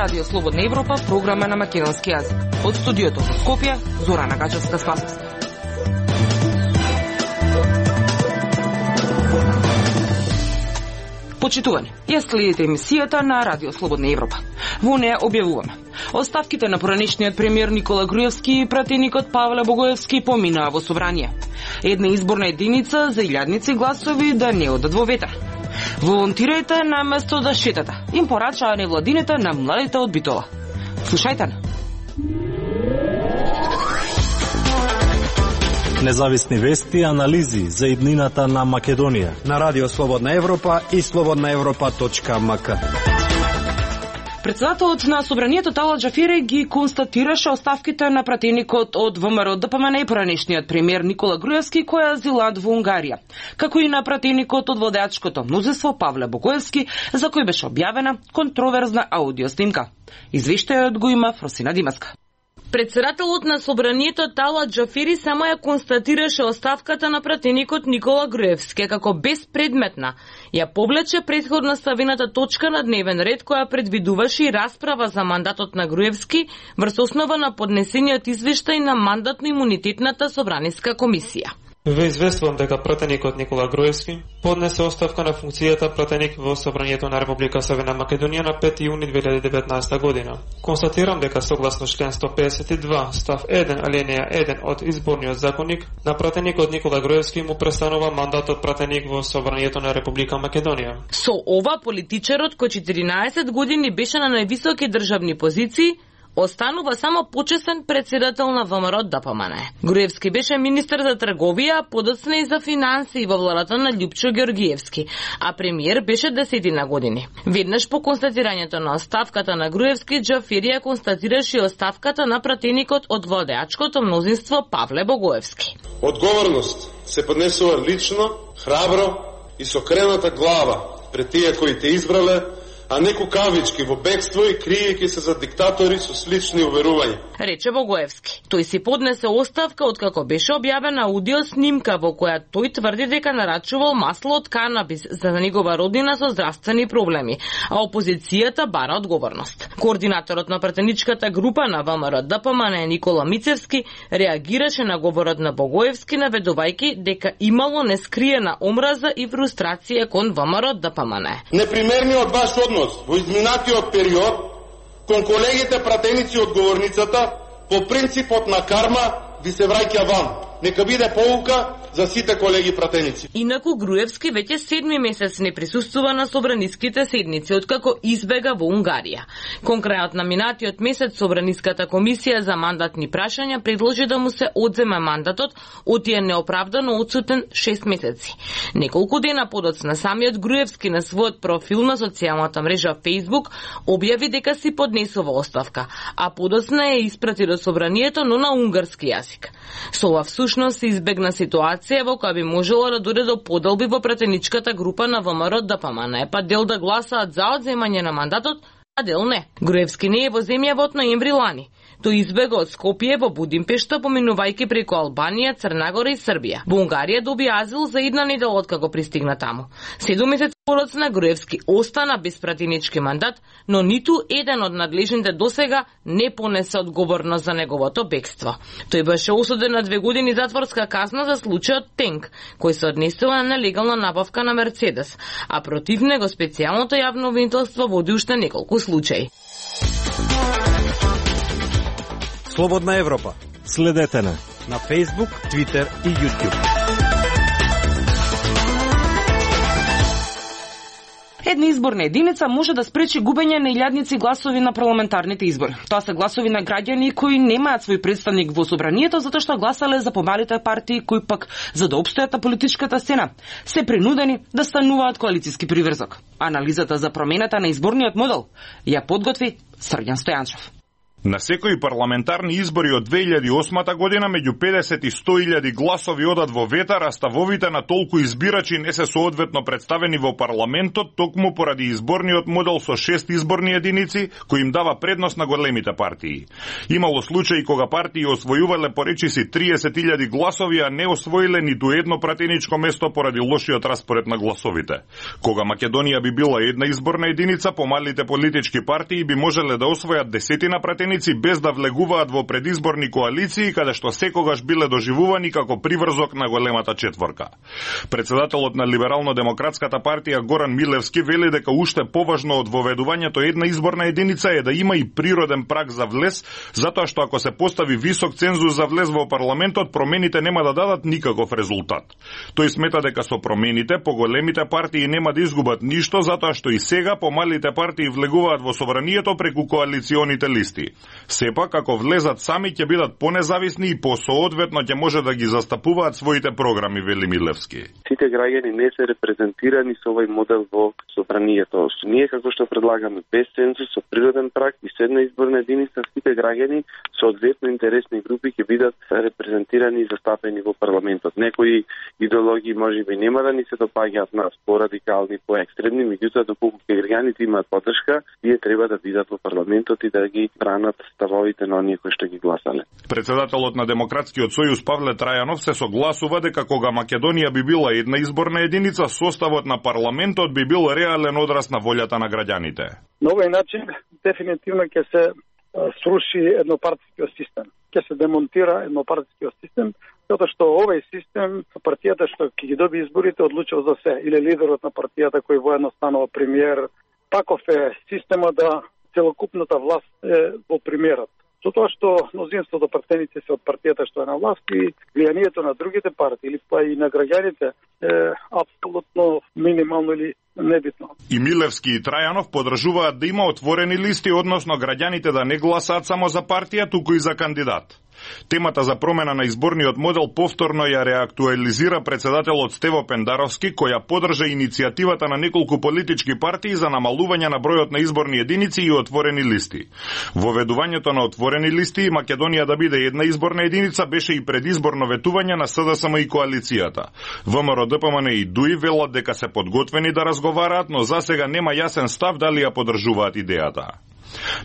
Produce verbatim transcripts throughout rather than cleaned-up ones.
Радио Слободна Европа, програма на македонски јазик. Од студиото во Скопје, Зорана Гачевска-Спасовска. Почитувани, ја следите емисијата на Радио Слободна Европа. Во неја објавуваме оставките на поранешниот премиер Никола Груевски и пратеникот Павле Богоевски поминаа во собрание. Една изборна единица за илјадници гласови да не одат во ветер. Волонтирајте на место да шетате. Им порачаа невладините на младите од Битола. Слушајте на. Независни вести и анализи за иднината на Македонија на Радио Слободна Европа и слободна европа точка ем ка. Председателот на собранието Талат Џафери ги констатираше оставките на пратеникот од ВМРО Д П М Н и поранешниот премиер Никола Груевски кој азилат во Унгарија, како и на пратеникот од владеачкото мнозинство Павле Богоевски, за кој беше објавена контроверзна аудиоснимка. Извештајот го има Фросина Димаска. Председателот на собранието Талат Џафери само ја констатираше оставката на пратеникот Никола Груевски како безпредметна. Ја повлече претходно ставената точка на дневен ред која предвидуваше и расправа за мандатот на Груевски врз основа на поднесениот извештај на мандатно-имунитетната собраниска комисија. Ве известувам дека пратеникот Никола Груевски поднесе оставка на функцијата пратеник во Собранието на Република Северна Македонија на пети јуни две илјади и деветнаесета година. Констатирам дека согласно член сто педесет и два став еден алинеја еден од изборниот законник, на пратеникот Никола Груевски му престанува мандатот пратеник во Собранието на Република Македонија. Со ова политичарот кој четиринаесет години беше на највисоки државни позиции, останува само почесен председател на ВМРО Д П М Н. Груевски беше министер за трговија, подоцна и за финансии во владата на Љупчо Ѓоргиевски, а премиер беше десетина години. Веднаш по констатирањето на оставката на Груевски, Џафери ја констатираше оставката на пратеникот од владеачкото мнозинство Павле Богоевски. Одговорност се поднесува лично, храбро и со крената глава пред тие кои те избрале, а не кукавички во бегство и криејќи се за диктатори со слични уверувања. Рече Богоевски. Тој си поднесе оставка откако беше објавена аудио снимка во која тој тврди дека нарачувал масло од канабис за негова роднина со здравствени проблеми, а опозицијата бара одговорност. Координаторот на пратеничката група на ВМРО Д П М Н Никола Мицевски реагираше на говорот на Богоевски наведувајќи дека имало нескриена омраза и фрустрација кон ВМРО Д П М Н. Непримерниот ваш однос во изминатиот период кон колегите пратеници од говорницата по принципот на карма ви се враќа ван. Нека биде поука за сите колеги пратеници. Инаку Груевски веќе седми месец не присуствува на собраниските седници откако избега во Унгарија. Кон крајот на минатиот месец собраниската комисија за мандатни прашања предложи да му се одземе мандатот од тие неоправдано одсутен шест месеци. Неколку дена подоцна самиот Груевски на својот профил на социјалната мрежа Facebook објави дека си поднесува оставка, а подоцна ја испрати до собранието, но на унгарски јазик. Со ова всушност се избегна ситуација во која би можело да дојде до поделби во пратеничката група на ВМРО Д П М Н, па дел да гласаат за одземање на мандатот, а дел не. Груевски не е во земјава од ноември лани. Тој избега од Скопје во Будимпешта, поминувајќи преку Албанија, Црнагора и Србија. Во Унгарија доби азил за една недела откако пристигна таму. Седум месеци подоцна Груевски остана без пратенички мандат, но ниту еден од надлежните досега не понесе одговорност за неговото бегство. Тој беше осуден на две години затворска казна за случајот Тенк, кој се однесува на нелегална набавка на Мерцедес, а против него специјалното јавно обвинителство води уште неколку случаи. Слободна Европа. Следете на на Facebook, Twitter и YouTube. Една изборна единица може да спречи губење на илјадници гласови на парламентарните избори. Тоа се гласови на граѓани кои немаат свој представник во собранието затоа што гласале за помалите партии кои пак за да опстојат на политичката сцена се принудени да стануваат коалициски приврзок. Анализата за промената на изборниот модел ја подготви Срѓан Стојанчев. На секои парламентарни избори од две илјади и осма година меѓу педесет и сто илјади гласови одат во ветар, а ставовите на толку избирачи не се соодветно представени во парламентот, токму поради изборниот модел со шест изборни единици, кој им дава предност на големите партии. Имало случаи кога партии освојувале поречиси триесет илјади гласови, а не освоиле ниту едно пратеничко место поради лошиот распоред на гласовите. Кога Македонија би била една изборна единица, помалите политички партии би можеле да освојат десетина пратеници без да влегуваат во предизборни коалиции, каде што секогаш биле доживувани како приврзок на големата четворка. Председателот на Либерално-демократската партија Горан Милевски вели дека уште поважно од воведувањето една изборна единица е да има и природен праг за влез, затоа што ако се постави висок цензус за влез во парламентот, промените нема да дадат никаков резултат. Тој смета дека со промените поголемите партии нема да изгубат ништо, затоа што и сега помалите партии влегуваат во собранието преку коалиционите листи. Сепак, ако влезат сами, ќе бидат понезависни и посоодветно ќе може да ги застапуваат своите програми, вели Милевски. Сите граѓани не се репрезентирани со овој модел во собранието. Ние како што предлагаме без цензус, со природен праг и со една изборна единица, сите граѓани соодветно интересни групи ќе бидат репрезентирани и застапени во парламентот. Некои идеологии можеби нема да ни се допаѓаат нас, порадикални, поекстремни, меѓутоа доколку граѓаните имаат поддршка, тие треба да бидат во парламентот и да ги бранат ставовите на оние кои што ги гласале. Председателот на Демократскиот сојуз Павле Трајанов се согласува дека кога Македонија би била една изборна единица, составот на парламентот би бил реален одраз на волјата на граѓаните. На овој начин дефинитивно ќе се сруши еднопартискиот систем. Ќе се демонтира еднопартискиот систем, затоа што овој систем, партијата што ќе ги доби изборите, одлучува за се, или лидерот на партијата кој воедно станува премиер. Таков е системот да целокупната власт е во премиерот. Со тоа што мнозинството пратеници се од партијата што е на власт и влијанието на другите партии или па и на граѓаните е апсолутно минимално или небитно. И Милевски и Трајанов подржуваат да има отворени листи, односно граѓаните да не гласаат само за партија, туку и за кандидат. Темата за промена на изборниот модел повторно ја реактуализира председателот Стево Пендаровски, која подржа иницијативата на неколку политички партии за намалување на бројот на изборни единици и отворени листи. Воведувањето на отворени листи и Македонија да биде една изборна единица беше и предизборно ветување на СДСМ и коалицијата. ВМРО, ДПМН и ДУИ велат дека се подготвени да разговараат, но засега нема јасен став дали ја подржуваат идејата.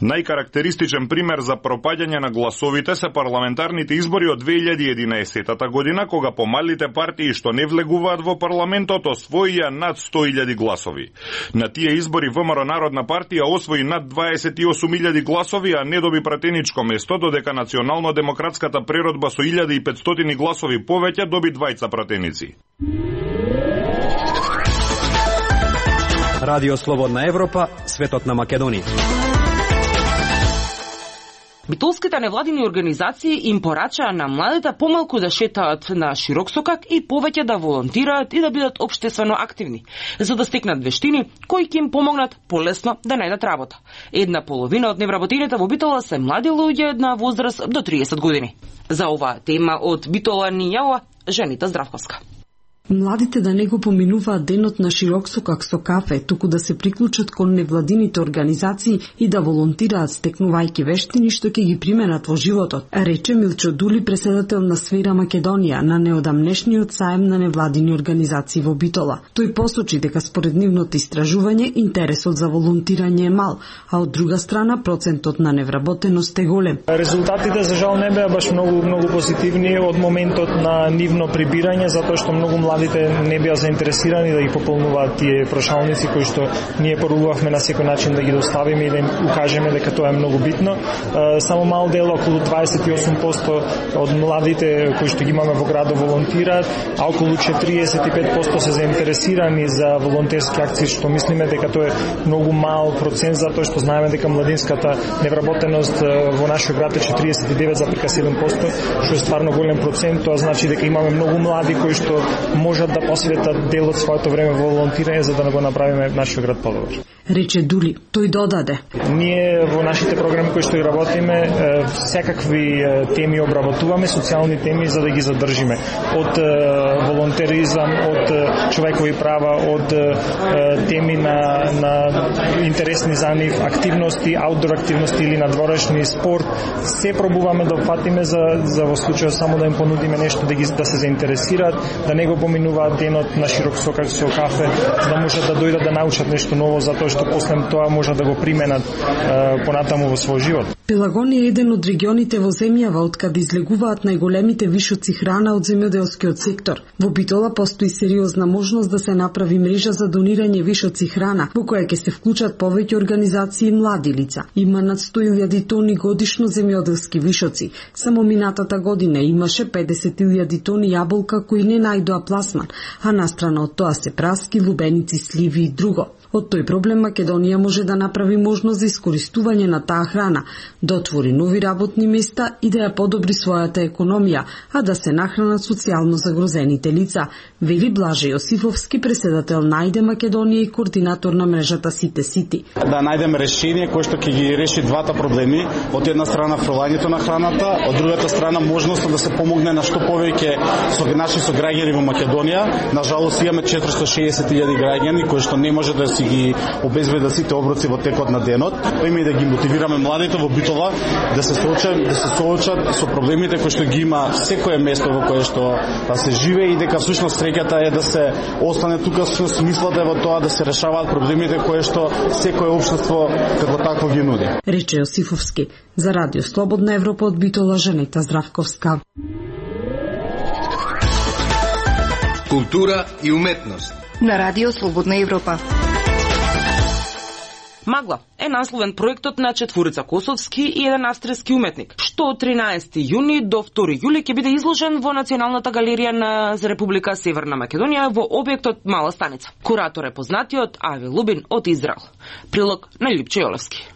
Најкарактеристичен пример за пропаѓање на гласовите се парламентарните избори од две илјади и единаесета година, кога помалите партии што не влегуваат во парламентот освоија над сто илјади гласови. На тие избори ВМРО Народна партија освои над дваесет и осум илјади гласови, а не доби пратеничко место, додека Национално-демократската преродба со илјада и петстотини гласови повеќе доби двајца пратеници. Радио Слободна Европа, светот на Македонија. Битолските невладини организации им порачаа на младите помалку да шетаат на широк сокак и повеќе да волонтираат и да бидат општествено активни, за да стекнат вештини кои ќе им помогнат полесно да најдат работа. Една половина од невработените во Битола се млади луѓе на возраст до триесет години. За оваа тема од Битола ни јава Женита Здравковска. Младите да не го поминуваат денот на широк сокак со кафе, туку да се приклучат кон невладините организации и да волонтираат стекнувајќи вештини што ќе ги применат во животот, рече Милчо Дули, преседател на Сфера Македонија на неодамнешниот саем на невладини организации во Битола. Тој посочи дека според нивното истражување интересот за волонтирање е мал, а од друга страна процентот на невработеност е голем. Резултатите за жал не беа баш многу многу позитивни од моментот на нивно прибирање, затоа што многу млади не беа заинтересирани да ги пополнуваат тие прошалници кои што ние порувавме на секој начин да ги доставиме и да им укажеме дека тоа е многу битно. Само мал дел, околу дваесет и осум проценти од младите кои што ги имаме во градот волонтираат, а околу четириесет и пет проценти се заинтересирани за волонтерски акции, што мислиме дека тоа е многу мал процент, затоа што знаеме дека младинската невработеност во нашиот град е четириесет и девет зарез седум проценти, што е стварно голем процент. Тоа значи дека имаме многу млади кои што можат да посветат дел од своето време во волонтирање за да го направиме нашиот град подобар. Рече Дули, тој додаде. Ние во нашите програми кои што ги работиме, секакви теми обработуваме, социјални теми за да ги задржиме. Од волонтеризам, од човекови права, од теми на, на интересни за нив, активности, аутдор активности или надворешни спорт, се пробуваме да опфатиме за, за во случај само да им понудиме нешто да ги да се заинтересираат, да не го поминуваат денот на широк сокак со кафе, за да можат да дојдат да научат нешто ново, затоа што после тоа можат да го применат е, понатаму во свој живот. Пелагон е еден од регионите во земјава од каде излегуваат најголемите вишоци храна од земјоделскиот сектор. Во Битола постои сериозна можност да се направи мрежа за донирање вишоци храна, во која ќе се вклучат повеќе организации и млади лица. Има над сто илјади тони годишно земјоделски вишоци. Само минатата година имаше педесет илјади тони јаболка кои не најдоа пласман, а настрана од тоа се праски, лубеници, сливи и друго. Од тој проблем Македонија може да направи можност за искористување на таа храна, да отвори нови работни места и да ја подобри својата економија, а да се нахранат социјално загрозените лица, вели Блаже Јосифовски, председател на Ајде Македонија и координатор на мрежата Сите Сити. Да најдеме решение кое што ќе ги реши двата проблеми, од една страна фрлањето на храната, од другата страна можноста да се помогне на што повеќе со наши сограѓани во Македонија. На жалост имаме четиристо и шеесет илјади граѓани кои што не може да си ги обезбедат сите оброци во текот на денот. Има и да ги мотивираме младите во Битола да се соочат, да се соочат со проблемите кои што ги има секое место во кое што да се живее и дека всушност среќата е да се остане тука, со смислата е во тоа да се решаваат проблемите кои што секое општество како такво ги нуди. Рече Јосифовски. За Радио Слободна Европа од Битола, Жанета Здравковска. Култура и уметност на Радио Слободна Европа. Магла е насловен проектот на четворица косовски и еден австријски уметник, што од тринаесети јуни до втори јули ќе биде изложен во Националната галерија на Република Северна Македонија во објектот Мала станица. Куратор е познатиот Ави Лубин од Израел. Прилог на Липче Јолевски.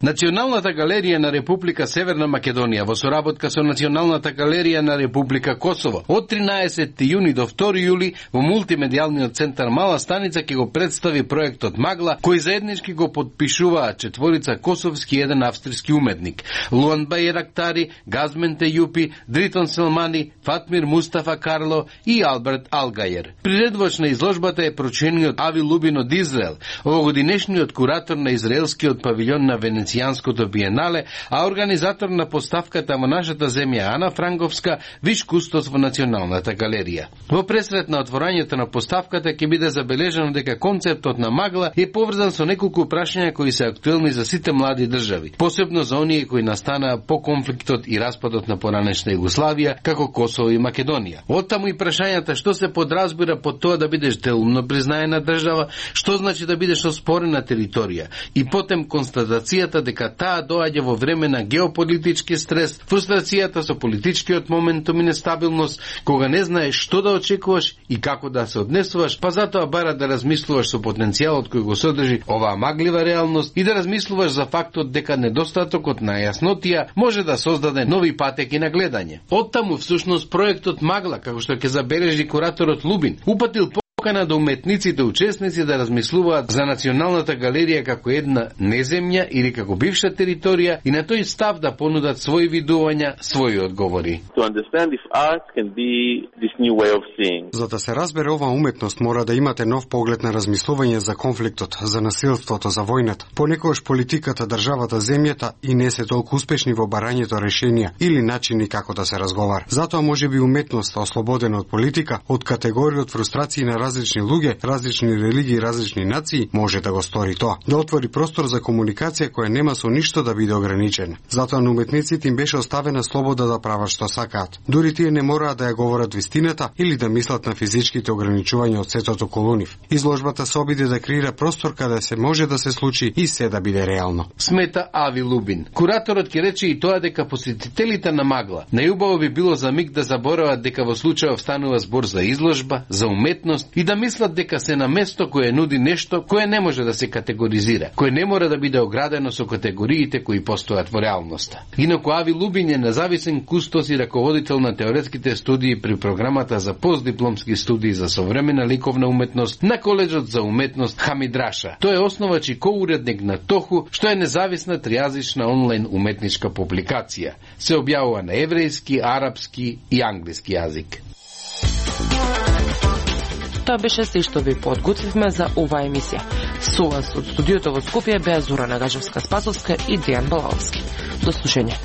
Националната галерија на Република Северна Македонија во соработка со Националната галерија на Република Косово од тринаесети јуни до втори јули во мултимедијалниот центар Мала станица ќе го представи проектот Магла, кој заеднички го подпишуваат четворица косовски и еден австријски уметник: Луан Байрактари, Газмен Тејупи, Дритон Селмани, Фатмир Мустафа Карло и Алберт Алгајер. Приредувач на изложбата е прочениот Ави Лубин од Израел, овогодинешниот куратор на израелскиот павилјон на Венеција Венецијанското биенале, а организатор на поставката во нашата земја Ана Франговска, виш кустос во Националната галерија. Во пресрет на отворањето на поставката ќе биде забележано дека концептот на Магла е поврзан со неколку прашања кои се актуелни за сите млади држави, посебно за оние кои настанаа по конфликтот и распадот на поранешна Југославија, како Косово и Македонија. Оттаму и прашањата што се подразбира под тоа да бидеш делумно признаена држава, што значи да бидеш оспорена територија, и потем констатацијата дека таа доаѓа во време на геополитички стрес, фрустрацијата со политичкиот моментум и нестабилност, кога не знаеш што да очекуваш и како да се однесуваш, па затоа бара да размислуваш со потенцијалот кој го содржи оваа маглива реалност и да размислуваш за фактот дека недостатокот на јаснотија може да создаде нови патеки на гледање. Оттаму всушност проектот Магла, како што ќе забележи кураторот Лубин, упатил покана до уметниците учесници да размислуваат за Националната галерија како една неземја или како бивша територија и на тој став да понудат своји видувања, своји одговори. За да се разбере ова уметност мора да имате нов поглед на размислување за конфликтот, за насилството, за војната. Понекогаш политиката, државата, земјата и не се толку успешни во барањето решенија или начини како да се разговара. Затоа можеби уметноста, ослободена од политика, од категорија од фрустрации на различни луѓе, различни религии, различни нации, може да го стори тоа. Да отвори простор за комуникација која нема со ништо да биде ограничена. Затоа на уметниците им беше оставена слобода да прават што сакаат. Дури тие не мораат да ја говорат вистината или да мислат на физичките ограничувања од светот околу нив. Изложбата се обиде да креира простор каде се може да се случи и се да биде реално. Смета Ави Лубин. Кураторот ќе рече и тоа дека посетителите на Магла најубаво би било за миг да заборават дека во случајов станува збор за изложба, за уметност и и да мислат дека се на место кое нуди нешто кое не може да се категоризира, кое не мора да биде оградено со категориите кои постојат во реалноста. Инаку Ави Лубин е независен кустос и раководител на теоретските студии при програмата за постдипломски студии за современа ликовна уметност на Коледжот за уметност Хамидраша. Тој е основач и коуредник на Тоху, што е независна тријазична онлайн уметничка публикација. Се објавува на еврејски, арапски и англиски јазик. Тоа беше се што ви подготвивме за оваа емисија. Со вас од студиото во Скопје беа Зора Нагажевска-Спасовска и Дејан Балаовски. До слушање.